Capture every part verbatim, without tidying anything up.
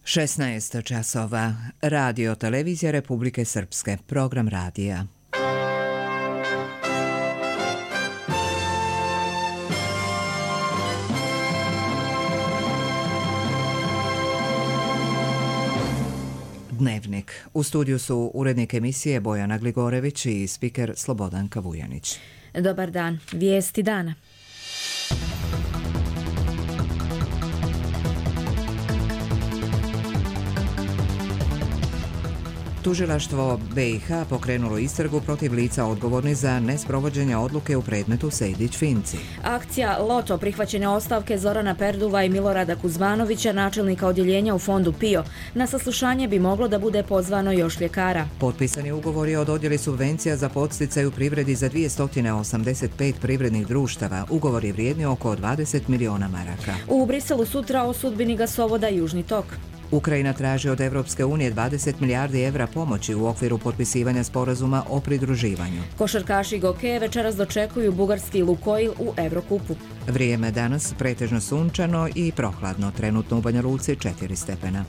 šesnaest časova. Radio televizija Republike Srpske. Program radija. Dnevnik. U studiju su urednik emisije Bojana Gligorević i spiker Slobodanka Vujanić. Dobar dan. Vijesti dana. Tužilaštvo be i ha pokrenulo istragu protiv lica odgovornih za nesprovođenje odluke u predmetu Sejdić-Finci. Akcija Loto, prihvaćene ostavke Zorana Perduva i Milorada Kuzmanovića, načelnika odjeljenja u fondu PIO. Na saslušanje bi moglo da bude pozvano još ljekara. Potpisani ugovori o dodjeli subvencija za podsticaj u privredi za dvjesto osamdeset pet privrednih društava. Ugovor je vrijedni oko dvadeset miliona maraka. U Briselu sutra o sudbini gasovoda Južni tok. Ukrajina traži od Evropske unije dvadeset milijardi evra pomoći u okviru potpisivanja sporazuma o pridruživanju. Košarkaši Gokeje večeras dočekuju bugarski Lukoil u Evrokupu. Vrijeme danas pretežno sunčano i prohladno, trenutno u Banja Luci četiri stepena.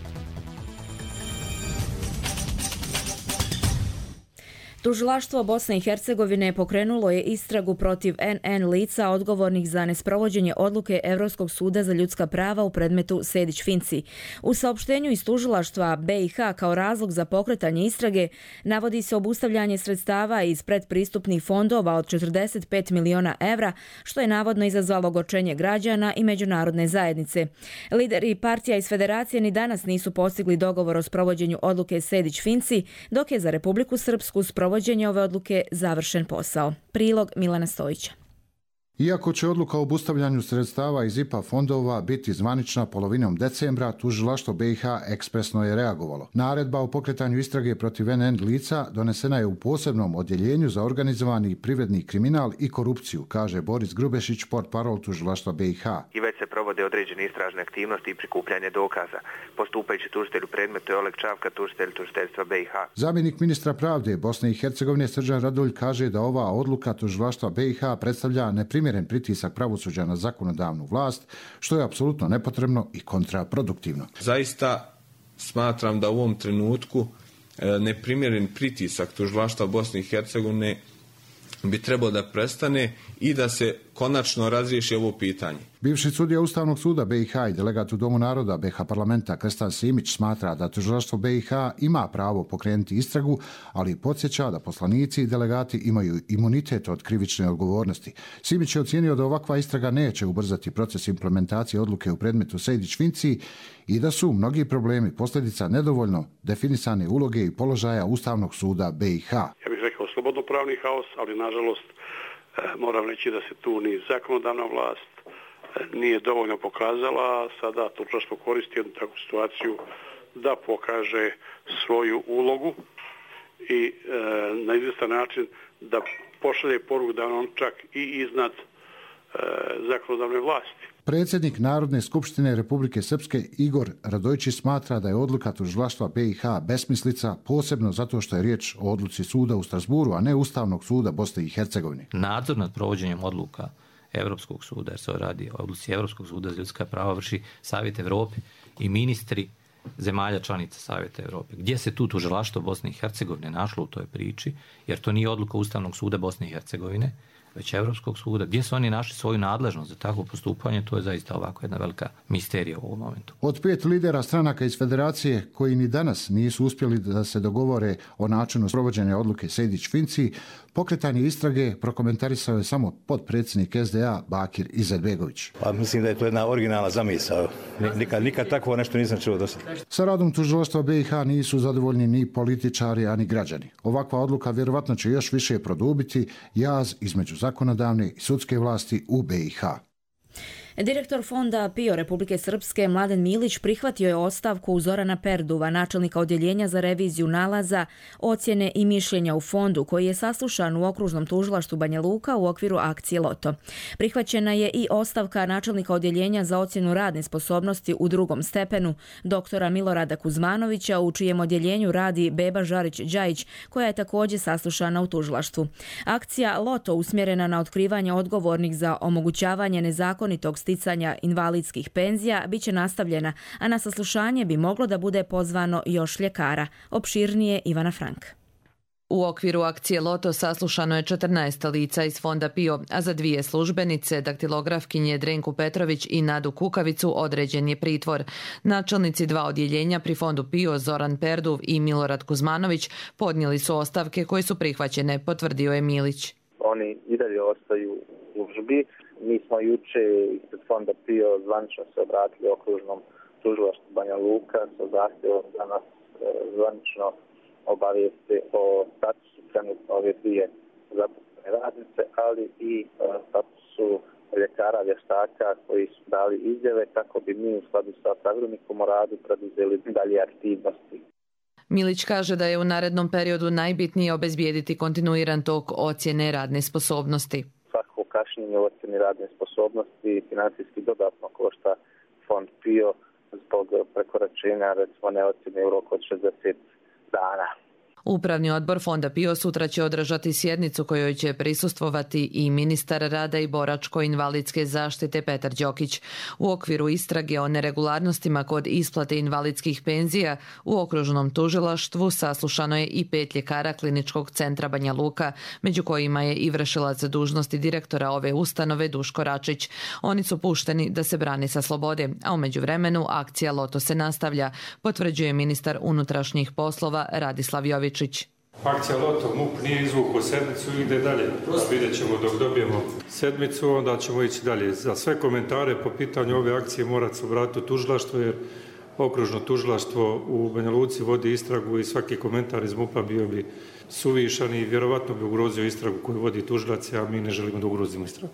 Tužilaštvo Bosne i Hercegovine pokrenulo je istragu protiv en en lica odgovornih za nesprovođenje odluke Evropskog suda za ljudska prava u predmetu Sejdić-Finci. U saopštenju iz tužilaštva be i ha kao razlog za pokretanje istrage navodi se obustavljanje sredstava iz predpristupnih fondova od četrdeset pet miliona evra, što je navodno izazvalo ogorčenje građana i međunarodne zajednice. Lideri partija iz federacije ni danas nisu postigli dogovor o sprovođenju odluke Sejdić-Finci, dok je za Republiku Srpsku sprovođenje ove odluke završen posao. Prilog Milana Stojića. Iako će odluka o obustavljanju sredstava iz i pe a fondova biti zvanična polovinom decembra, tužilaštvo be i ha ekspresno je reagovalo. Naredba o pokretanju istrage protiv en en lica donesena je u posebnom odjeljenju za organizovani privredni kriminal i korupciju, kaže Boris Grubešić, portparol tužilaštva be i ha. I već se provode određene istražne aktivnosti i prikupljanje dokaza. Postupajući tužitelj u predmetu je Oleg Čavka, tužitelj tužiteljstva be i ha. Zamjenik ministra pravde Bosne i Hercegovine Srđan Radulj kaže da ova odluka tužilaštva be i ha predstavlja neprimjereno pritisak pravosuđa na zakonodavnu vlast, što je apsolutno nepotrebno i kontraproduktivno. Zaista smatram da u ovom trenutku neprimjeren pritisak tužilaštva Bosne i Hercegovine bi trebao da prestane i da se konačno razriješi ovo pitanje. Bivši sudija Ustavnog suda be i ha i delegat u Domu naroda be ha parlamenta Krstan Simić smatra da tužilaštvo be i ha ima pravo pokrenuti istragu, ali podsjeća da poslanici i delegati imaju imunitet od krivične odgovornosti. Simić je ocijenio da ovakva istraga neće ubrzati proces implementacije odluke u predmetu Sejdić-Finci i da su mnogi problemi posljedica nedovoljno definisane uloge i položaja Ustavnog suda be i ha. Ja bih rekao slobodnopravni haos, ali nažalost moram reći da se tu ni zakonodavna vlast nije dovoljno pokazala. Sada tužilaštvo koristi jednu takvu situaciju da pokaže svoju ulogu i e, na izvjestan način da pošalje poruku da on čak i iznad e, zakonodavne vlasti. Predsjednik Narodne skupštine Republike Srpske Igor Radojčić smatra da je odluka tužilaštva be i ha besmislica, posebno zato što je riječ o odluci suda u Strasburu, a ne Ustavnog suda Bosne i Hercegovine. Nadzor nad provođenjem odluka Evropskog suda, jer se radi o odluci Evropskog suda za ljudska prava, vrši Savjet Evrope i ministri zemalja članica Savjeta Evrope. Gdje se tu tužilaštvo Bosne i Hercegovine našlo u toj priči, jer to nije odluka Ustavnog suda Bosne i Hercegovine, već Evropskog suda. Gdje su oni našli svoju nadležnost za takvo postupanje, to je zaista ovako jedna velika misterija u ovom momentu. Od pet lidera stranaka iz federacije koji ni danas nisu uspjeli da se dogovore o načinu sprovođenja odluke Sejdić-Finci, pokretanje istrage prokomentarisao je samo potpredsjednik es de a Bakir Izetbegović. Pa mislim da je to jedna originalna zamisao. Nikad, nikad takvo nešto nisam čuo do sada. Sa radom tužilaštva be i ha nisu zadovoljni ni političari, ani građani. Ovakva odluka vjerovatno će još više produbiti jaz između zakonodavne i sudske vlasti u be i ha. Direktor fonda PIO Republike Srpske Mladen Milić prihvatio je ostavku Zorana Perduva, načelnika odjeljenja za reviziju nalaza, ocjene i mišljenja u fondu, koji je saslušan u okružnom tužilaštvu Banja Luka u okviru akcije Loto. Prihvaćena je i ostavka načelnika odjeljenja za ocjenu radne sposobnosti u drugom stepenu, doktora Milorada Kuzmanovića, u čijem odjeljenju radi Beba Žarić-Đajić, koja je također saslušana u tužilaštvu. Akcija Loto usmjerena na otkrivanje odgovornih za omogućavanje nezakonitog sticanja invalidskih penzija bit će nastavljena, a na saslušanje bi moglo da bude pozvano još ljekara. Opširnije Ivana Frank. U okviru akcije Loto saslušano je četrnaest lica iz Fonda PIO, a za dvije službenice, daktilografkinje Drenku Petrović i Nadu Kukavicu, određen je pritvor. Načelnici dva odjeljenja pri Fondu PIO, Zoran Perduv i Milorad Kuzmanović, podnijeli su ostavke koje su prihvaćene, potvrdio je Milić. Oni i dalje ostaju u službi. Mi smo juče ispred Fonda PIO zvanično se obratili okružnom tužilaštvu Banja Luka sa zahtjevom da nas zvanično obavijeste o statusu trenutno ove dvije zaposlene radnice, ali i statusu ljekara vještaka koji su dali izjave, kako bi mi u skladu sa pravilnikom o radu preduzeli dalje aktivnosti. Milić kaže da je u narednom periodu najbitnije obezbijediti kontinuiran tok ocjene radne sposobnosti. Svako kašnjenje u ocjeni radne sposobnosti financijski dodatno košta Fond PIO zbog prekoračenja, recimo, neocjene u roku od šezdeset dana. Upravni odbor Fonda PIO sutra će održati sjednicu kojoj će prisustvovati i ministar rada i boračko-invalidske zaštite Petar Đokić. U okviru istrage o neregularnostima kod isplate invalidskih penzija u okružnom tužilaštvu saslušano je i pet ljekara Kliničkog centra Banja Luka, među kojima je i vršilac dužnosti direktora ove ustanove Duško Račić. Oni su pušteni da se brane sa slobode, a u međuvremenu akcija Loto se nastavlja, potvrđuje ministar unutrašnjih poslova Radislav Jović. Akcija Loto, M U P nije izvukao sedmicu i ide dalje. Vidjet ćemo dok dobijemo sedmicu, onda ćemo ići dalje. Za sve komentare po pitanju ove akcije morate se obratiti u tužilaštvo, jer okružno tužilaštvo u Banja Luci vodi istragu i svaki komentar iz M U P-a bio bi suvišan i vjerovatno bi ugrozio istragu koju vodi tužilac, a mi ne želimo da ugrozimo istragu.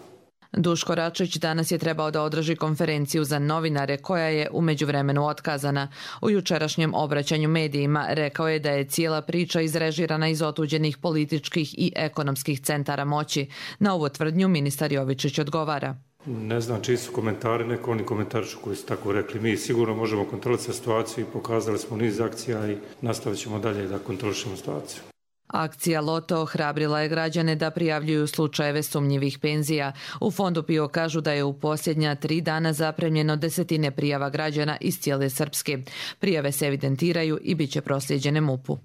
Duško Račić danas je trebao da održi konferenciju za novinare koja je u međuvremenu otkazana. U jučerašnjem obraćanju medijima rekao je da je cijela priča izrežirana iz otuđenih političkih i ekonomskih centara moći. Na ovu tvrdnju ministar Jovičić odgovara. Ne znam čiji su komentari, neko oni komentarišu koji su tako rekli. Mi sigurno možemo kontrolisati situaciju i pokazali smo niz akcija i nastavit ćemo dalje da kontrolišemo situaciju. Akcija Loto ohrabrila je građane da prijavljuju slučajeve sumnjivih penzija. U Fondu PIO kažu da je u posljednja tri dana zapremljeno desetine prijava građana iz cijele Srpske. Prijave se evidentiraju i bit će proslijeđene M U P-u.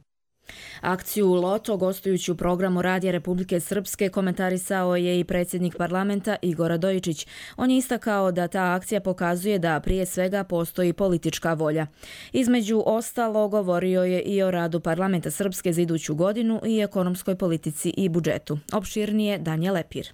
Akciju Loto, gostujući u programu Radija Republike Srpske, komentarisao je i predsjednik parlamenta Igor Radojičić. On je istakao da ta akcija pokazuje da prije svega postoji politička volja. Između ostalo govorio je i o radu parlamenta Srpske za iduću godinu i ekonomskoj politici i budžetu. Opširnije Danja Lepir.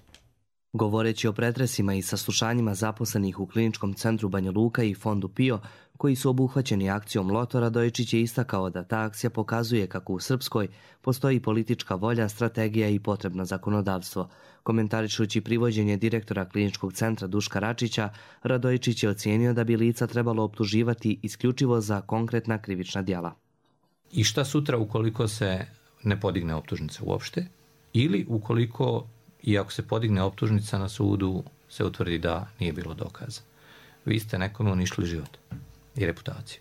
Govoreći o pretresima i saslušanjima zaposlenih u Kliničkom centru Banja Luka i Fondu PIO, koji su obuhvaćeni akcijom Loto, Radojičić je istakao da ta akcija pokazuje kako u Srpskoj postoji politička volja, strategija i potrebno zakonodavstvo. Komentarišući privođenje direktora Kliničkog centra Duška Račića, Radojičić je ocijenio da bi lica trebalo optuživati isključivo za konkretna krivična djela. I šta sutra ukoliko se ne podigne optužnica uopšte, ili ukoliko, iako se podigne optužnica na sudu, se utvrdi da nije bilo dokaza. Vi ste nekome uništili život i reputaciju.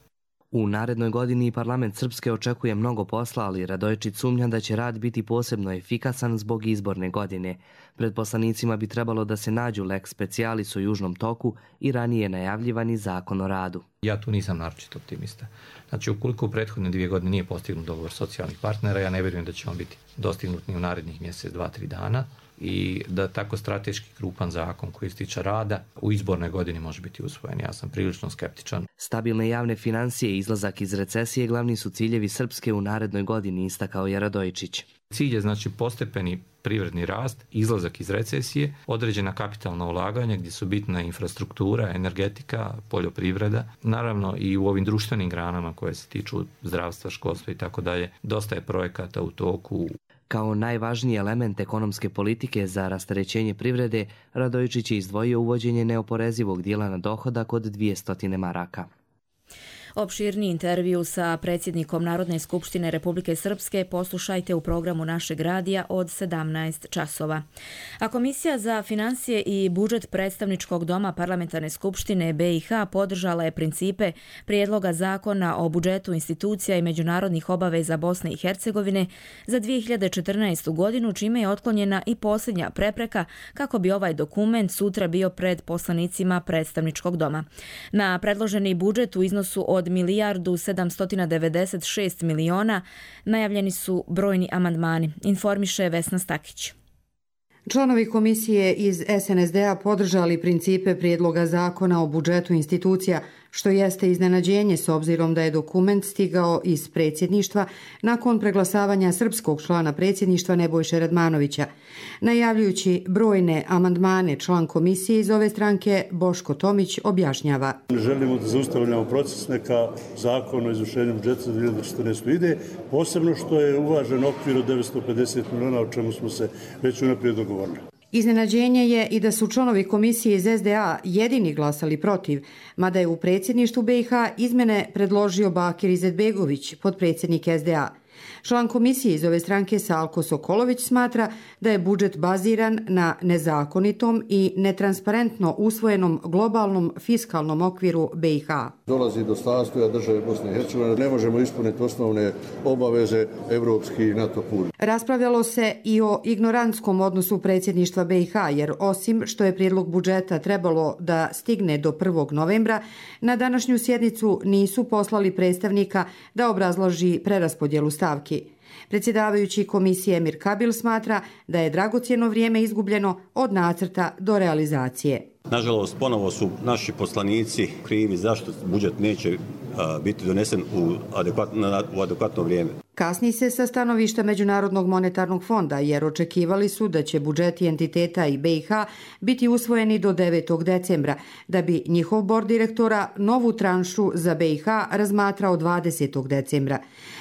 U narednoj godini parlament Srpske očekuje mnogo posla, ali Radojičić sumnja da će rad biti posebno efikasan zbog izborne godine. Pred poslanicima bi trebalo da se nađu lex specialis u Južnom toku i ranije najavljivani zakon o radu. Ja tu nisam naročito optimista. Znači, ukoliko u prethodne dvije godine nije postignut dogovor socijalnih partnera, ja ne vjerujem da će on biti dostignut ni u narednih mjesec, dva, tri dana i da tako strateški krupan zakon koji se tiče rada u izbornoj godini može biti usvojen. Ja sam prilično skeptičan. Stabilne javne financije i izlazak iz recesije glavni su ciljevi Srpske u narednoj godini, istakao je Radojičić. Cilj je znači postepeni privredni rast, izlazak iz recesije, određena kapitalna ulaganja gdje su bitna infrastruktura, energetika, poljoprivreda, naravno i u ovim društvenim granama koje se tiču zdravstva, školstva i tako dalje. Dosta je projekata u toku. Kao najvažniji element ekonomske politike za rasterećenje privrede, Radojičić je izdvojio uvođenje neoporezivog dijela na dohodak od dvjesto maraka. Opširni intervju sa predsjednikom Narodne skupštine Republike Srpske poslušajte u programu našeg radija od sedamnaest časova. A Komisija za financije i budžet predstavničkog doma Parlamentarne skupštine B i H podržala je principe prijedloga zakona o budžetu institucija i međunarodnih obaveza Bosne i Hercegovine za dvije hiljade četrnaestu godinu, čime je otklonjena i posljednja prepreka kako bi ovaj dokument sutra bio pred poslanicima predstavničkog doma. Na predloženi budžet u iznosu od milijardu sedamsto devedeset šest miliona najavljeni su brojni amandmani, informiše Vesna Stakić. Članovi komisije iz S N S D-a podržali principe prijedloga zakona o budžetu institucija, što jeste iznenađenje s obzirom da je dokument stigao iz predsjedništva nakon preglasavanja srpskog člana predsjedništva Nebojše Radmanovića. Najavljujući brojne amandmane, član komisije iz ove stranke Boško Tomić objašnjava. Želimo da zaustavljamo proces, neka zakon o izvršenju budžeta za dvije hiljade četrnaestu. ide, posebno što je uvažen okvir od devetsto pedeset miliona, o čemu smo se već unaprijed dogovorili. Iznenađenje je i da su članovi komisije iz S D A jedini glasali protiv, mada je u predsjedništvu B i H izmene predložio Bakir Izetbegović, potpredsjednik S D A. Član komisije iz ove stranke Salko Sokolović smatra da je budžet baziran na nezakonitom i netransparentno usvojenom globalnom fiskalnom okviru B i H. Dolazi do sastoja države Bosne i Hercegovine, ne možemo ispuniti osnovne obaveze evropski i NATO put. Raspravljalo se i o ignorantskom odnosu predsjedništva B i H, jer osim što je prijedlog budžeta trebalo da stigne do prvog novembra, na današnju sjednicu nisu poslali predstavnika da obrazloži preraspodjelu stavki. Predsjedavajući komisije Emir Kabil smatra da je dragocjeno vrijeme izgubljeno od nacrta do realizacije. Nažalost, ponovo su naši poslanici krivi zašto budžet neće a, biti donesen u adekvatno, u adekvatno vrijeme. Kasni se sa stanovišta Međunarodnog monetarnog fonda, jer očekivali su da će budžeti entiteta i B i H biti usvojeni do devetog decembra, da bi njihov bord direktora novu tranšu za B i H razmatrao dvadesetog decembra.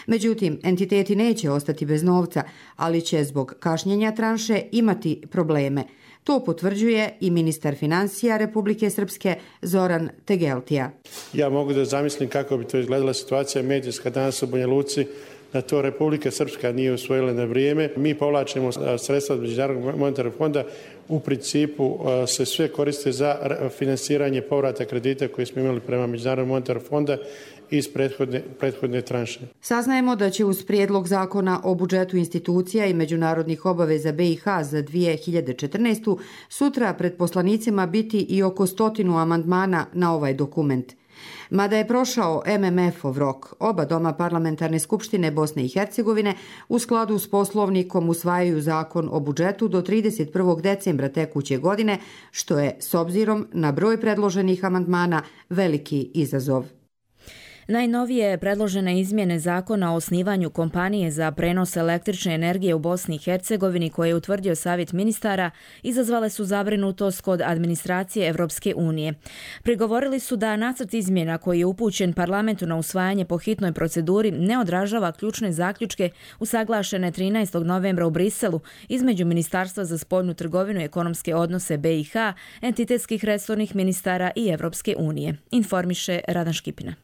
Međutim, entiteti neće ostati bez novca, ali će zbog kašnjenja tranše imati probleme. To potvrđuje i ministar financija Republike Srpske Zoran Tegeltija. Ja mogu da zamislim kako bi to izgledala situacija medijska danas u Banja Luci, da to Republika Srpska nije usvojila na vrijeme. Mi povlačimo sredstva od Međunarodnog monetarnog fonda, u principu se sve koriste za finansiranje povrata kredita koje smo imali prema Međunarodnog monetarnog fonda iz prethodne, prethodne tranše. Saznajemo da će uz prijedlog zakona o budžetu institucija i međunarodnih obaveza B i H za dvije hiljade četrnaestu. sutra pred poslanicima biti i oko stotinu amandmana na ovaj dokument. Mada je prošao M M F-ov rok, oba doma Parlamentarne skupštine Bosne i Hercegovine u skladu s poslovnikom usvajaju zakon o budžetu do trideset prvog decembra tekuće godine, što je, s obzirom na broj predloženih amandmana, veliki izazov. Najnovije predložene izmjene zakona o osnivanju kompanije za prenos električne energije u Bosni i Hercegovini koje je utvrdio Savjet ministara izazvale su zabrinutost kod administracije Evropske unije. Prigovorili su da nacrt izmjena koji je upućen parlamentu na usvajanje po hitnoj proceduri ne odražava ključne zaključke usaglašene trinaestog novembra u Briselu između Ministarstva za spoljnu trgovinu i ekonomske odnose B i H, entitetskih resornih ministara i Evropske unije, informiše Radan Škipina.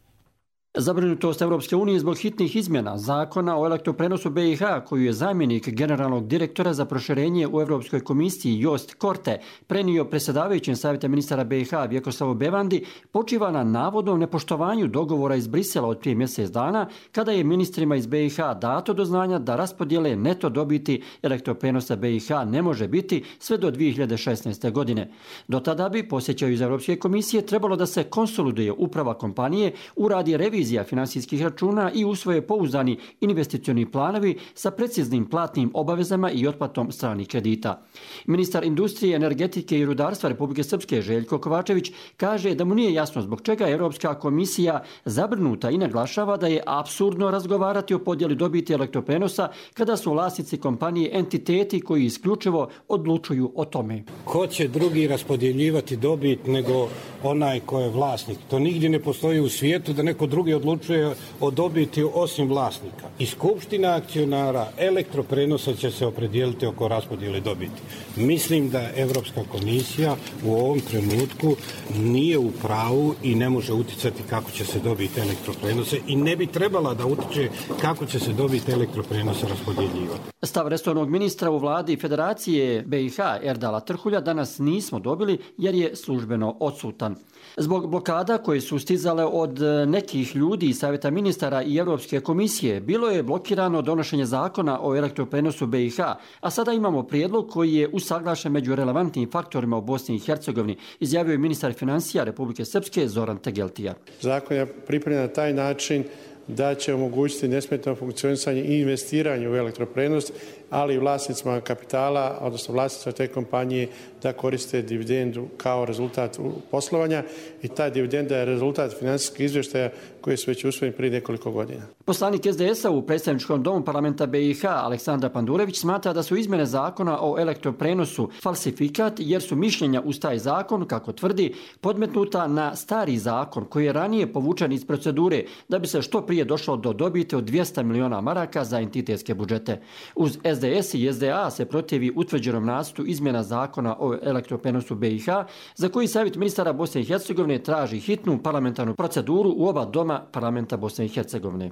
Zabrinutost Evropske unije zbog hitnih izmjena zakona o elektroprenosu B i H, koju je zamjenik generalnog direktora za proširenje u Europskoj komisiji Jost Korte prenio predsjedavajućem Savjeta ministara B i H Vjekoslavu Bevandi, počiva na navodnom nepoštovanju dogovora iz Brisela od prije mjesec dana, kada je ministrima iz B i H dato do znanja da raspodjele neto dobiti elektroprenosa B i H ne može biti sve do dvije hiljade šesnaeste. godine. Do tada bi, posjećaju iz Europske komisije, trebalo da se konsoliduje uprava kompanije, uradi revizija finansijskih računa i usvoje pouzdani investicioni planovi sa preciznim platnim obavezama i otplatom stranih kredita. Ministar industrije, energetike i rudarstva Republike Srpske Željko Kovačević kaže da mu nije jasno zbog čega je Europska komisija zabrinuta i naglašava da je apsurdno razgovarati o podjeli dobiti elektroprenosa kada su vlasnici kompanije entiteti koji isključivo odlučuju o tome. Ko će drugi raspodjeljivati dobit nego onaj ko je vlasnik. To nigdje ne postoji u svijetu da neko drugi odlučuje o dobiti osim vlasnika. I skupština akcionara elektroprenosa će se opredijeliti oko raspodjele dobiti. Mislim da Europska komisija u ovom trenutku nije u pravu i ne može utjecati kako će se dobiti elektroprenose i ne bi trebala da utječe kako će se dobiti elektroprenose raspodjeljivati. Stav resornog ministra u vladi Federacije B i H Erdala Trhulja danas nismo dobili jer je službeno odsutan. Zbog blokada koje su stizale od nekih ljudi iz Savjeta ministara i Europske komisije, bilo je blokirano donošenje zakona o elektroprenosu B i H, a sada imamo prijedlog koji je usaglašen među relevantnim faktorima u Bosni i Hercegovini, izjavio je ministar financija Republike Srpske Zoran Tegeltija. Zakon je pripremljen na taj način da će omogućiti nesmetano funkcionisanje i investiranje u elektroprenos, ali i vlasnicima kapitala, odnosno vlasnicima te kompanije da koriste dividendu kao rezultat poslovanja i ta dividenda je rezultat financijskih izvještaja koji su već usvojeni prije nekoliko godina. Poslanik S D S-a u predstavničkom domu parlamenta B i H Aleksandar Pandurević smatra da su izmjene zakona o elektroprenosu falsifikat jer su mišljenja uz taj zakon, kako tvrdi, podmetnuta na stari zakon koji je ranije povučen iz procedure da bi se što prije došlo do dobiti od dvjesto miliona maraka za entitetske budžete. Uz S D S i S D A se protivi utvrđenom nacrtu izmjena zakona o elektroprenosu B i H, za koji Savjet ministara Bosne i Hercegovine traži hitnu parlamentarnu proceduru u oba doma parlamenta Bosne i Hercegovine.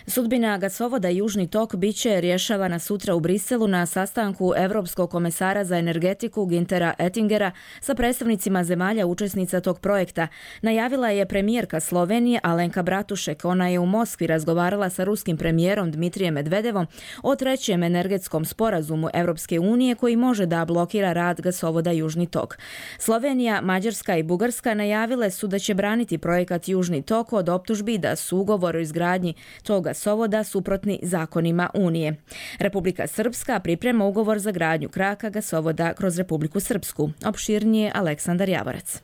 Sudbina gasovoda Južni tok bit će rješavana sutra u Briselu na sastanku Europskog komesara za energetiku Güntera Oettingera sa predstavnicima zemalja učesnica tog projekta. Najavila je premijerka Slovenije Alenka Bratušek. Ona je u Moskvi razgovarala sa ruskim premijerom Dmitrijem Medvedevom o trećem energetskom sporazumu Europske unije koji može da blokira rad gasovoda Južni tok. Slovenija, Mađarska i Bugarska najavile su da će braniti projekat Južni tok od optužbi da su ugovor o izgradnji toga gasovoda suprotni zakonima Unije. Republika Srpska priprema ugovor za gradnju kraka gasovoda kroz Republiku Srpsku. Opširnije Aleksandar Javorac.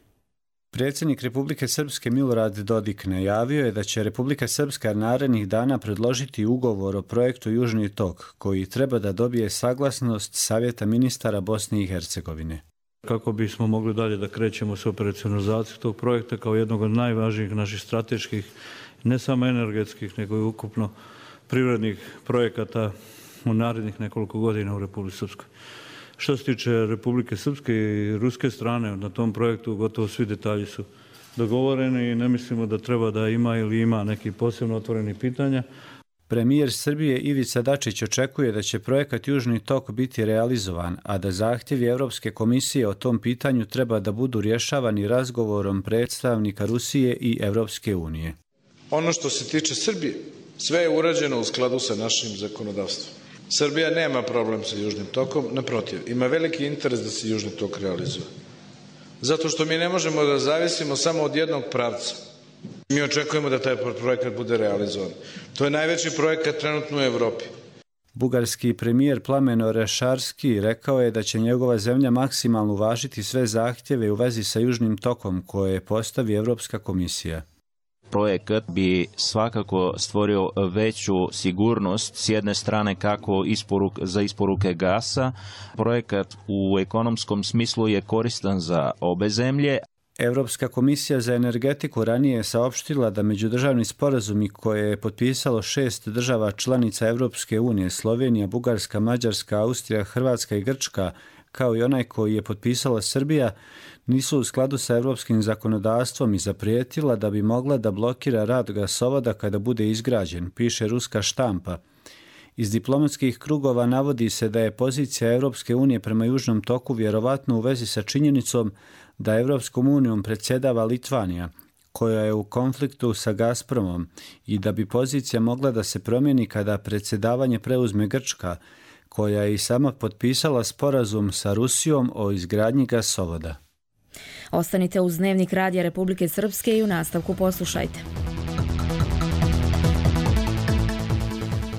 Predsjednik Republike Srpske Milorad Dodik najavio je da će Republika Srpska narednih dana predložiti ugovor o projektu Južni tok, koji treba da dobije saglasnost Savjeta ministara Bosne i Hercegovine. Kako bismo mogli dalje da krećemo s operacionalizacijom tog projekta kao jednog od najvažnijih naših strateških, ne samo energetskih, nego i ukupno privrednih projekata u narednih nekoliko godina u Republici Srpskoj. Što se tiče Republike Srpske i ruske strane, na tom projektu gotovo svi detalji su dogovoreni i ne mislimo da treba da ima ili ima neki posebno otvoreni pitanja. Premijer Srbije Ivica Dačić očekuje da će projekat Južni tok biti realizovan, a da zahtjevi Europske komisije o tom pitanju treba da budu rješavani razgovorom predstavnika Rusije i Europske unije. Ono što se tiče Srbije, sve je urađeno u skladu sa našim zakonodavstvom. Srbija nema problem sa Južnim tokom, naprotiv, ima veliki interes da se Južni tok realizuje. Zato što mi ne možemo da zavisimo samo od jednog pravca. Mi očekujemo da taj projekat bude realizovan. To je najveći projekat trenutno u Evropi. Bugarski premijer Plamen Orešarski rekao je da će njegova zemlja maksimalno uvažiti sve zahtjeve u vezi sa Južnim tokom koje postavi Europska komisija. Projekat bi svakako stvorio veću sigurnost s jedne strane kako isporuk, za isporuke gasa. Projekat u ekonomskom smislu je koristan za obe zemlje. Europska komisija za energetiku ranije je saopštila da međudržavni sporazumi koje je potpisalo šest država članica Europske unije, Slovenija, Bugarska, Mađarska, Austrija, Hrvatska i Grčka, kao i onaj koji je potpisala Srbija, nisu u skladu sa europskim zakonodavstvom i zaprijetila da bi mogla da blokira rad gasovoda kada bude izgrađen, piše ruska štampa. Iz diplomatskih krugova navodi se da je pozicija Europske unije prema Južnom toku vjerovatno u vezi sa činjenicom da Europskom unijom predsjedava Litvanija, koja je u konfliktu sa Gazpromom, i da bi pozicija mogla da se promijeni kada predsjedavanje preuzme Grčka, koja je i sama potpisala sporazum sa Rusijom o izgradnji gasovoda. Ostanite uz Dnevnik Radija Republike Srpske i u nastavku poslušajte.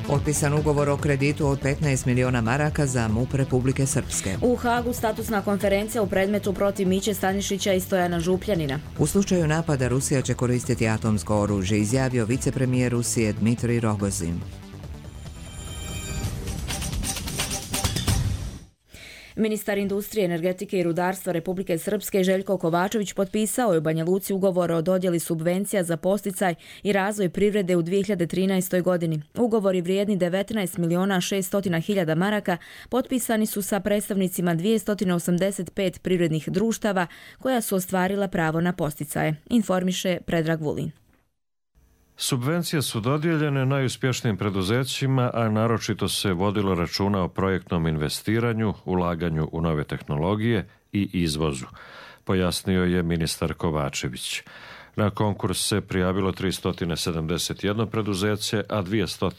Potpisan ugovor o kreditu od petnaest miliona maraka za M U P Republike Srpske. U Hagu statusna konferencija u predmetu protiv Miće Stanišića i Stojana Župljanina. U slučaju napada Rusija će koristiti atomsko oružje, izjavio vicepremijer Rusije Dmitrij Rogozin. Ministar industrije, energetike i rudarstva Republike Srpske Željko Kovačević potpisao je u Banja Luci ugovor o dodjeli subvencija za podsticaj i razvoj privrede u dvije hiljade trinaestoj. godini. Ugovori vrijedni devetnaest miliona šesto hiljada maraka potpisani su sa predstavnicima dvjesto osamdeset pet privrednih društava koja su ostvarila pravo na podsticaje, informiše Predrag Vulin. Subvencije su dodijeljene najuspješnijim preduzećima, a naročito se vodilo računa o projektnom investiranju, ulaganju u nove tehnologije i izvozu, pojasnio je ministar Kovačević. Na konkurs se prijavilo tristo sedamdeset jedno preduzeće, a dvjesto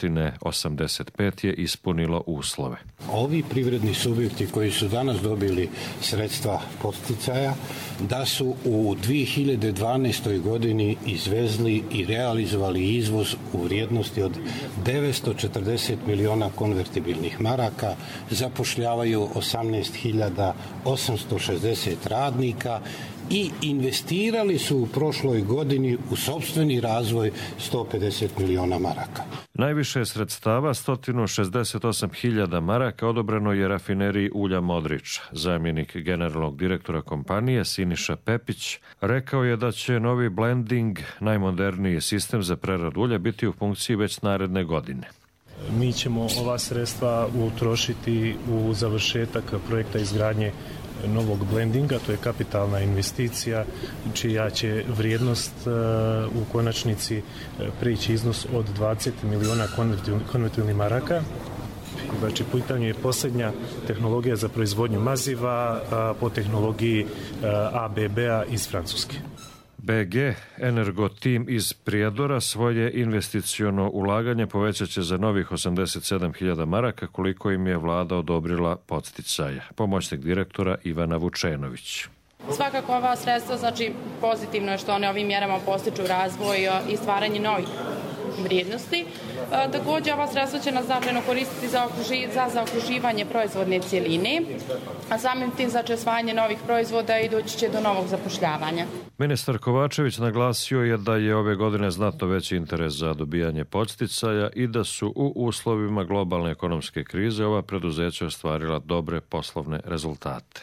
osamdeset pet je ispunilo uslove. Ovi privredni subjekti koji su danas dobili sredstva podsticaja, da su u dvije hiljade dvanaestoj. godini izvezli i realizovali izvoz u vrijednosti od devetsto četrdeset miliona konvertibilnih maraka, zapošljavaju osamnaest hiljada osamsto šezdeset radnika i investirali su u prošloj godini u sopstveni razvoj sto pedeset miliona maraka. Najviše sredstava, sto šezdeset osam hiljada maraka, odobreno je rafineriji ulja Modrić. Zamjenik generalnog direktora kompanije Siniša Pepić rekao je da će novi blending, najmoderniji sistem za preradu ulja, biti u funkciji već naredne godine. Mi ćemo ova sredstva utrošiti u završetak projekta izgradnje novog blendinga, to je kapitalna investicija čija će vrijednost u konačnici prijeći iznos od dvadeset miliona konvertibilnih maraka. Znači, u pitanju je posljednja tehnologija za proizvodnju maziva po tehnologiji A B B-a iz Francuske. B G Energo Team iz Prijedora svoje investiciono ulaganje povećat će za novih osamdeset sedam hiljada maraka, koliko im je vlada odobrila podsticaja. Pomoćnik direktora Ivana Vučenović. Svakako ova sredstva, znači pozitivno je što one ovim mjerama postiču razvoj i stvaranje novih vrijednosti. E, također ova sredstva će nas značajno koristiti za, okruži, za zaokruživanje proizvodne cjeline, a samim tim znači osvajanje novih proizvoda i doći će do novog zapošljavanja. Ministar Kovačević naglasio je da je ove godine znatno veći interes za dobijanje podsticaja i da su u uslovima globalne ekonomske krize ova preduzeća ostvarila dobre poslovne rezultate.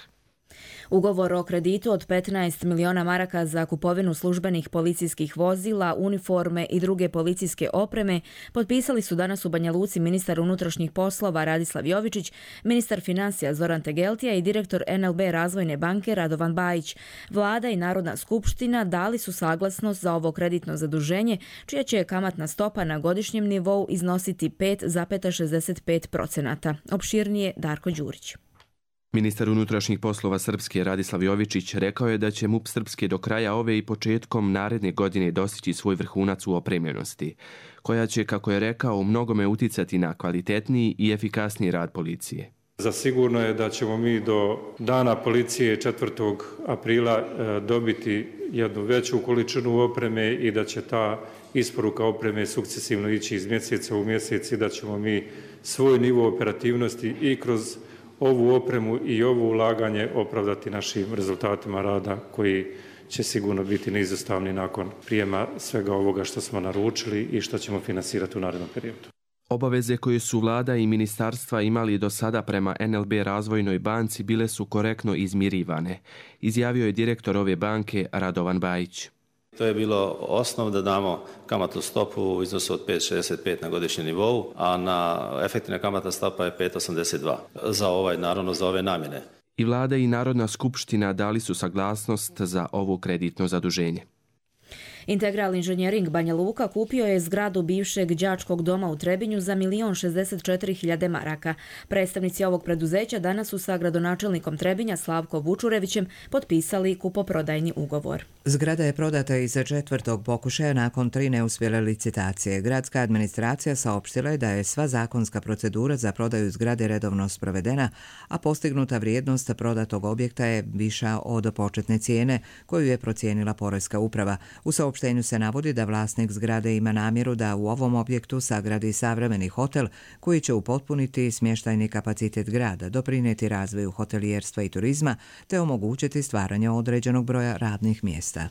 Ugovor o kreditu od petnaest miliona maraka za kupovinu službenih policijskih vozila, uniforme i druge policijske opreme potpisali su danas u Banja Luci ministar unutrašnjih poslova Radislav Jovičić, ministar financija Zoran Tegeltija i direktor N L B Razvojne banke Radovan Bajić. Vlada i Narodna skupština dali su saglasnost za ovo kreditno zaduženje, čija će kamatna stopa na godišnjem nivou iznositi pet zarez šezdeset pet posto. Opširnije Darko Đurić. Ministar unutrašnjih poslova Srpske Radislav Jovičić rekao je da će M U P Srpske do kraja ove i početkom naredne godine dostići svoj vrhunac u opremljenosti, koja će, kako je rekao, u mnogome uticati na kvalitetniji i efikasniji rad policije. Zasigurno je da ćemo mi do dana policije četvrtog aprila dobiti jednu veću količinu opreme i da će ta isporuka opreme sukcesivno ići iz mjeseca u mjesec i da ćemo mi svoj nivo operativnosti i kroz ovu opremu i ovo ulaganje opravdati našim rezultatima rada koji će sigurno biti neizostavni nakon prijema svega ovoga što smo naručili i što ćemo finansirati u narednom periodu. Obaveze koje su vlada i ministarstva imali do sada prema N L B Razvojnoj banci bile su korektno izmirivane, izjavio je direktor ove banke Radovan Bajić. To je bilo osnov da damo kamatnu stopu u iznosu od pet zarez šezdeset pet na godišnjem nivou, a na efektivna kamatna stopa je pet zarez osamdeset dva za ovaj, naravno za ove namjene. I vlada i Narodna skupština dali su saglasnost za ovo kreditno zaduženje. Integral Inženjering Banja Luka kupio je zgradu bivšeg đačkog doma u Trebinju za milion šezdeset četiri hiljade maraka. Predstavnici ovog preduzeća danas su sa gradonačelnikom Trebinja Slavko Vučurevićem potpisali kupoprodajni ugovor. Zgrada je prodata iza četvrtog pokušaja nakon tri neuspjele licitacije. Gradska administracija saopštila je da je sva zakonska procedura za prodaju zgrade redovno sprovedena, a postignuta vrijednost prodatog objekta je viša od početne cijene koju je procijenila Poreska uprava. U saopštenju se navodi da vlasnik zgrade ima namjeru da u ovom objektu sagradi savremeni hotel koji će upotpuniti smještajni kapacitet grada, doprinijeti razvoju hotelijerstva i turizma te omogućiti stvaranje određenog broja radnih mjesta.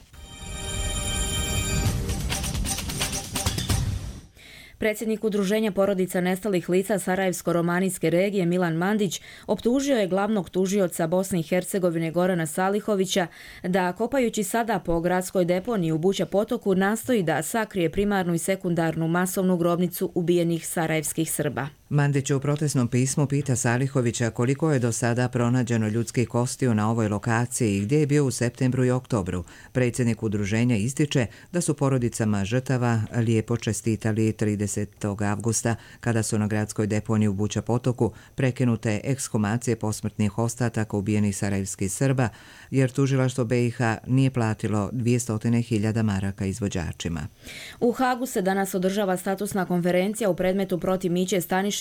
Predsjednik Udruženja porodica nestalih lica Sarajevsko-romanijske regije Milan Mandić optužio je glavnog tužioca Bosne i Hercegovine Gorana Salihovića da, kopajući sada po gradskoj deponiji u Buća potoku, nastoji da sakrije primarnu i sekundarnu masovnu grobnicu ubijenih sarajevskih Srba. Mandić u protestnom pismu pita Salihovića koliko je do sada pronađeno ljudskih kostiju na ovoj lokaciji i gdje je bio u septembru i oktobru. Predsjednik udruženja ističe da su porodicama žrtava lijepo čestitali tridesetog avgusta kada su na gradskoj deponiji u Buća potoku prekinute ekshumacije posmrtnih ostataka ubijenih sarajevskih Srba, jer tužilaštvo B i H nije platilo dvjesto hiljada maraka izvođačima. U Hagu se danas održava statusna konferencija u predmetu protiv Miće Stanišića,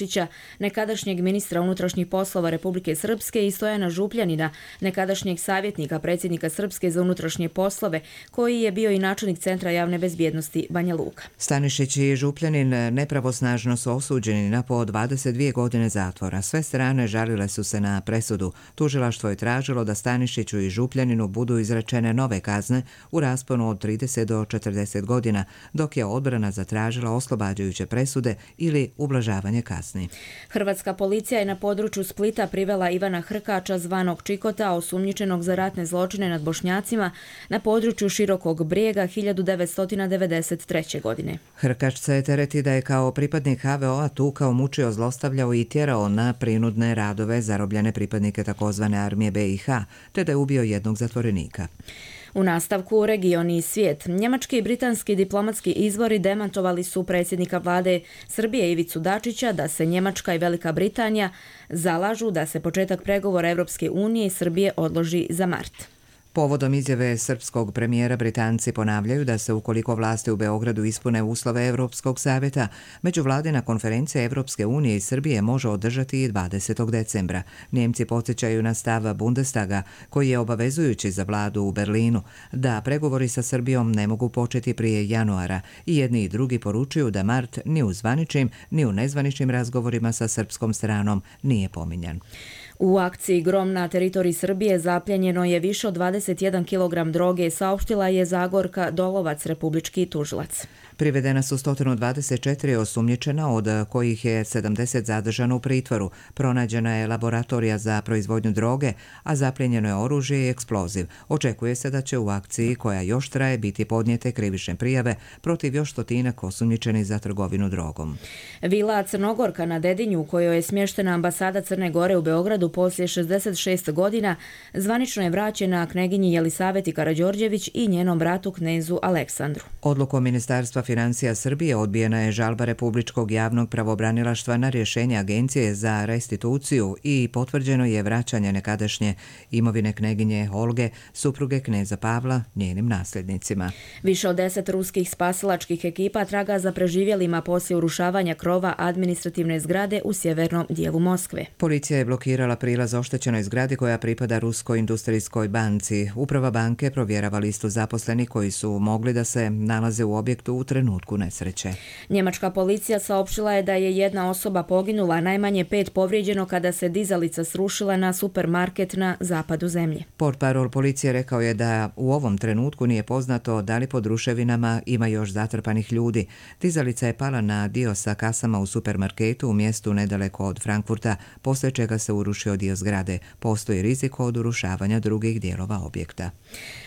nekadašnjeg ministra unutrašnjih poslova Republike Srpske, i Stojana Župljanina, nekadašnjeg savjetnika predsjednika Srpske za unutrašnje poslove, koji je bio i načelnik Centra javne bezbjednosti Banja Luka. Stanišić i Župljanin nepravosnažno su osuđeni na po dvadeset dvije godine zatvora. Sve strane žalile su se na presudu. Tužilaštvo je tražilo da Stanišiću i Župljaninu budu izrečene nove kazne u rasponu od trideset do četrdeset godina, dok je odbrana zatražila oslobađajuće presude ili ublažavanje kazni. Hrvatska policija je na području Splita privela Ivana Hrkača, zvanog Čikota, osumnjičenog za ratne zločine nad Bošnjacima na području Širokog Brijega hiljadu devetsto devedeset treće. godine. Hrkač se tereti da je kao pripadnik H V O-a tukao, mučio, zlostavljao i tjerao na prinudne radove zarobljene pripadnike takozvane armije B i H, te da je ubio jednog zatvorenika. U nastavku region i svijet. Njemački i britanski diplomatski izvori demantovali su predsjednika vlade Srbije Ivicu Dačića da se Njemačka i Velika Britanija zalažu da se početak pregovora Evropske unije i Srbije odloži za mart. Povodom izjave srpskog premijera, Britanci ponavljaju da se, ukoliko vlasti u Beogradu ispune uslove Evropskog savjeta, međuvladina konferencija Evropske unije i Srbije može održati i dvadesetog decembra. Njemci podsjećaju na stav Bundestaga, koji je obavezujući za vladu u Berlinu, da pregovori sa Srbijom ne mogu početi prije januara, i jedni i drugi poručuju da mart ni u zvaničnim ni u nezvaničnim razgovorima sa srpskom stranom nije pominjan. U akciji Grom na teritoriji Srbije zapljenjeno je više od dvadeset jedan kilogram droge, saopštila je Zagorka Dolovac, republički tužilac. Privedena su sto dvadeset četiri osumnjičena, od kojih je sedamdeset zadržano u pritvoru. Pronađena je laboratorija za proizvodnju droge, a zapljenjeno je oružje i eksploziv. Očekuje se da će u akciji, koja još traje, biti podnijete krivične prijave protiv još stotinak osumnjičenih za trgovinu drogom. Vila Crnogorka na Dedinju, u kojoj je smještena ambasada Crne Gore u Beogradu poslije šezdeset šest godina, zvanično je vraćena kneginji Jelisaveti Karađorđević i njenom bratu knezu Aleksandru. Odlukom Ministarstva financija Srbije odbijena je žalba Republičkog javnog pravobranilaštva na rješenje Agencije za restituciju i potvrđeno je vraćanje nekadašnje imovine kneginje Olge, supruge kneza Pavla, njenim nasljednicima. Više od deset ruskih spasilačkih ekipa traga za preživjelima poslije urušavanja krova administrativne zgrade u sjevernom dijelu Moskve. Policija je blokirala prilaz oštećenoj zgradi koja pripada Ruskoj industrijskoj banci. Uprava banke provjerava listu zaposlenih koji su mogli da se nalaze u objektu u trenutku nesreće. Njemačka policija saopštila je da je jedna osoba poginula, najmanje pet povrijeđeno kada se dizalica srušila na supermarket na zapadu zemlje. Portparol policije rekao je da u ovom trenutku nije poznato da li pod ruševinama ima još zatrpanih ljudi. Dizalica je pala na dio sa kasama u supermarketu u mjestu nedaleko od Frankfurta, poslije čega se urušio dio zgrade. Postoji rizik od urušavanja drugih dijelova objekta.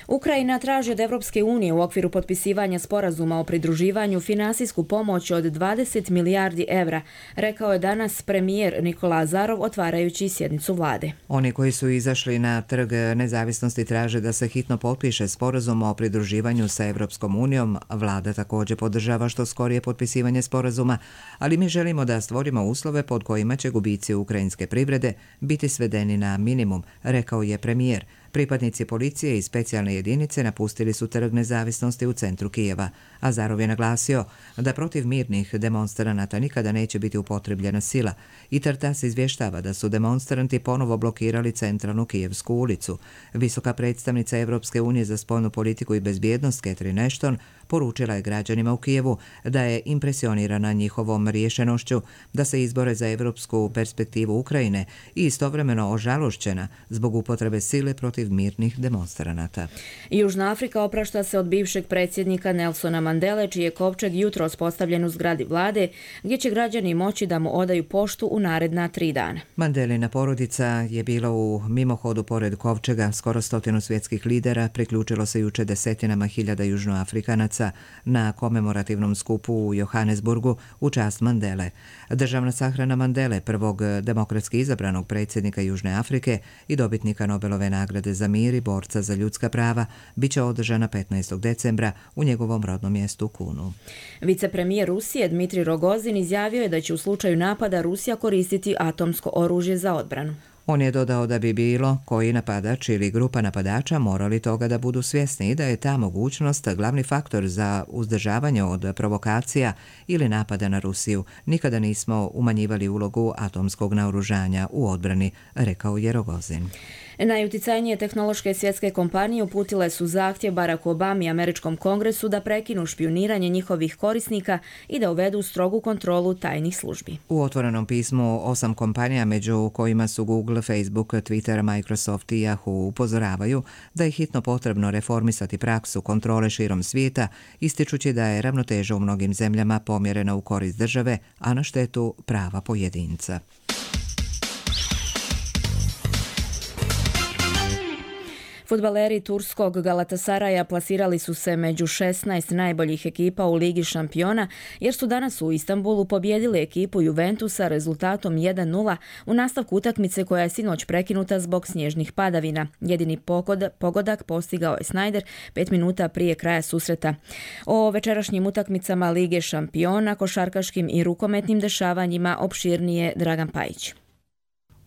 Ukrajina traži od Evropske unije u okviru potpisivanja sporazuma o pridruživanju finansijsku pomoć od dvadeset milijardi evra, rekao je danas premijer Nikola Azarov otvarajući sjednicu vlade. Oni koji su izašli na trg nezavisnosti traže da se hitno potpiše sporazum o pridruživanju sa Evropskom unijom. Vlada također podržava što skorije potpisivanje sporazuma, ali mi želimo da stvorimo uslove pod kojima će gubici ukrajinske privrede biti svedeni na minimum, rekao je premijer. Pripadnici policije i specijalne jedinice napustili su trg nezavisnosti u centru Kijeva. Azarov je naglasio da protiv mirnih demonstranata nikada neće biti upotrebljena sila i Tartas izvještava da su demonstranti ponovo blokirali centralnu Kijevsku ulicu. Visoka predstavnica Evropske unije za spoljnu politiku i bezbjednost Catherine Ashton poručila je građanima u Kijevu da je impresionirana njihovom rješenošću da se izbore za evropsku perspektivu Ukrajine i istovremeno ožalošćena zbog upotrebe sile protiv mirnih demonstranata. Južna Afrika oprašta se od bivšeg predsjednika Nelsona Mandele, čiji je kovčeg jutros postavljen u zgradi vlade, gdje će građani moći da mu odaju poštu u naredna tri dana. Mandelina porodica je bila u mimohodu pored kovčega. Skoro stotinu svjetskih lidera priključilo se juče desetinama hiljada južnoafrikanaca na komemorativnom skupu u Johannesburgu u čast Mandele. Državna sahrana Mandele, prvog demokratski izabranog predsjednika Južne Afrike i dobitnika Nobelove nagrade za mir i borca za ljudska prava, bit će održana petnaestog decembra u njegovom rodnom mjestu Kunu. Vicepremijer Rusije Dmitrij Rogozin izjavio je da će u slučaju napada Rusija koristiti atomsko oružje za odbranu. On je dodao da bi bilo koji napadač ili grupa napadača morali toga da budu svjesni i da je ta mogućnost glavni faktor za uzdržavanje od provokacija ili napada na Rusiju. Nikada nismo umanjivali ulogu atomskog naoružanja u odbrani, rekao je Rogozin. Najuticajnije tehnološke svjetske kompanije uputile su zahtjev Baracku Obami i američkom kongresu da prekinu špijuniranje njihovih korisnika i da uvedu strogu kontrolu tajnih službi. U otvorenom pismu osam kompanija, među kojima su Google, Facebook, Twitter, Microsoft i Yahoo, upozoravaju da je hitno potrebno reformisati praksu kontrole širom svijeta, ističući da je ravnoteža u mnogim zemljama pomjerena u korist države, a na štetu prava pojedinca. Fudbaleri turskog Galatasaraja plasirali su se među šesnaest najboljih ekipa u Ligi šampiona, jer su danas u Istanbulu pobijedili ekipu Juventusa rezultatom jedan nula u nastavku utakmice koja je sinoć prekinuta zbog snježnih padavina. Jedini pogodak postigao je Sneijder pet minuta prije kraja susreta. O večerašnjim utakmicama Lige šampiona, košarkaškim i rukometnim dešavanjima opširnije Dragan Pajić.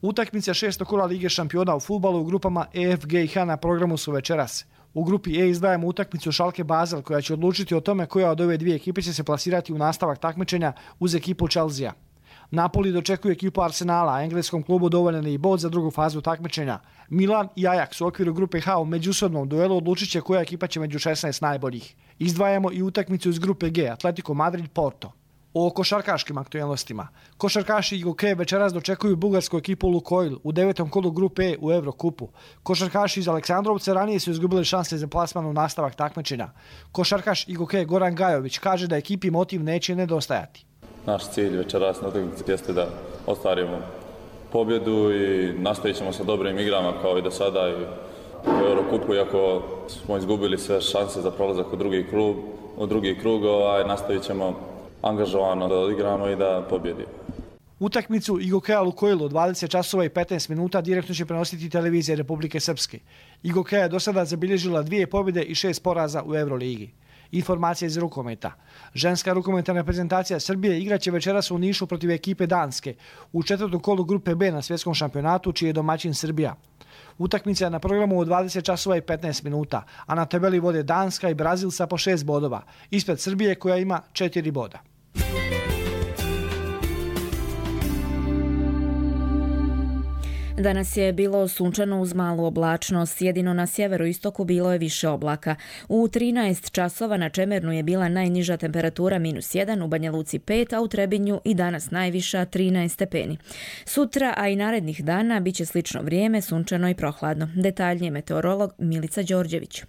Utakmice šestog kola Lige šampiona u fudbalu u grupama E, F, G i H na programu su večeras. U grupi E izdvajamo utakmicu Schalke Basel koja će odlučiti o tome koja od ove dvije ekipe će se plasirati u nastavak takmičenja uz ekipu Chelsea. Napoli dočekuje ekipu Arsenala, a engleskom klubu dovoljan je i bod za drugu fazu takmičenja. Milan i Ajax u okviru grupe H u međusobnom duelu odlučit će koja ekipa će među šesnaest najboljih. Izdvajamo i utakmicu iz grupe G, Atletico Madrid Porto. O košarkaškim aktualnostima. Košarkaši I G O K večeras dočekuju bugarsku ekipu Lukoil u devetom kolu grupe E u Eurokupu. Košarkaši iz Aleksandrovca ranije su izgubili šanse za plasman u nastavak takmičenja. Košarkaš I G O K Goran Gajović kaže da ekipi motiv neće nedostajati. Naš cilj večeras na utakmici jeste da ostvarimo pobjedu i nastavit ćemo sa dobrim igrama kao i do sada i u Eurokupu, iako smo izgubili sve šanse za prolazak u drugi klub, u drugi krug, ovaj, nastavit ćemo angažovano da odigramo i da pobjedimo. Utakmicu I G O K-a Lukoil u dvadeset časova i petnaest minuta direktno će prenositi televizija Republike Srpske. I G O K je do sada zabilježila dvije pobjede i šest poraza u Euroligi. Informacija iz rukometa. Ženska rukometna reprezentacija Srbije igraće večeras u Nišu protiv ekipe Danske u četvrtom kolu grupe B na svjetskom šampionatu, čiji je domaćin Srbija. Utakmica je na programu u dvadeset časova i petnaest minuta, a na tabeli vode Danska i Brazil sa po šest bodova, ispred Srbije koja ima četiri boda. Danas je bilo sunčano uz malu oblačnost, jedino na sjeveroistoku bilo je više oblaka. U trinaest časova na Čemernu je bila najniža temperatura minus jedan, u Banja Luci pet, a u Trebinju i danas najviša trinaest stepeni. Sutra, a i narednih dana, bit će slično vrijeme, sunčano i prohladno. Detaljnije meteorolog Milica Đorđević.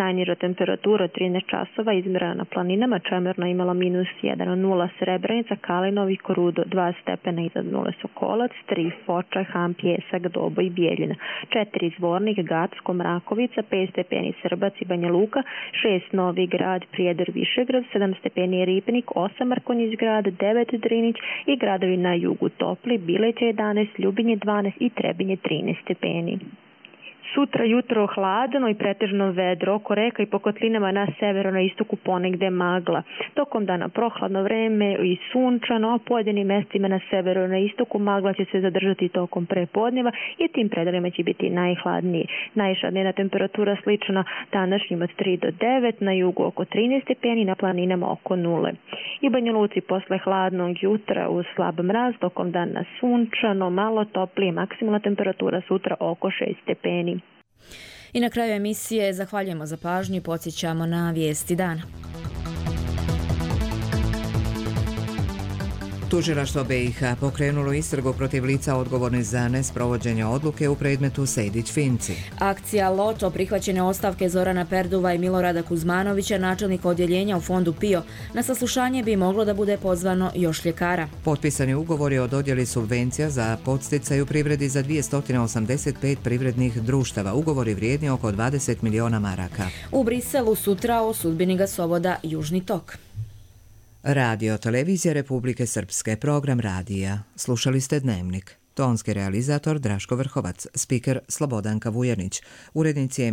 Najniža temperatura trinaest časova izmjerena na planinama, Čemerna imala minus jedan, nula Srebrenica, Kalinovi, Korudo, dva stepena iznad nule Sokolac, tri Foča, Ham, Pjesak, Dobo i Bijeljina, četiri Zvornik, Gacko, Mrakovica, pet stepeni Srbac i Banja Luka, šest Novi Grad, Prijedor, Višegrad, sedam stepeni Ripnik, osam Mrkonjić Grad, devet Drinić i gradovi na jugu Topli, Bileće jedanaest, Ljubinje dvanaest i Trebinje trinaest stepeni. Sutra jutro hladno i pretežno vedro, oko reka i po kotlinama na severu, na istoku ponegde magla. Tokom dana prohladno vreme i sunčano, a pojedinim mestima na severu, na istoku magla će se zadržati tokom prepodneva i tim predelima će biti najhladniji. Najviša dnevna temperatura slična današnjim od tri do devet, na jugu oko trinaest stepeni, na planinama oko nule. I Banja Luci posle hladnog jutra uz slab mraz, tokom dana sunčano, malo toplije, maksimalna temperatura sutra oko šest stepeni. I na kraju emisije zahvaljujemo za pažnju i podsjećamo na vijesti dana. Tužilaštvo B i H pokrenulo istragu protiv lica odgovornih za nesprovođenje odluke u predmetu Sejdić-Finci. Akcija Loto, prihvaćene ostavke Zorana Perduva i Milorada Kuzmanovića, načelnika odjeljenja u fondu P I O. Na saslušanje bi moglo da bude pozvano još ljekara. Potpisani ugovori o dodjeli subvencija za podsticaj u privredi za dvjesto osamdeset pet privrednih društava. Ugovori vrijedni oko dvadeset miliona maraka. U Briselu sutra o sudbini gasovoda Južni tok. Radio Televizija Republike Srpske, program radija. Slušali ste Dnevnik. Tonski realizator Draško Vrhovac, spiker Slobodanka Vujanić, urednici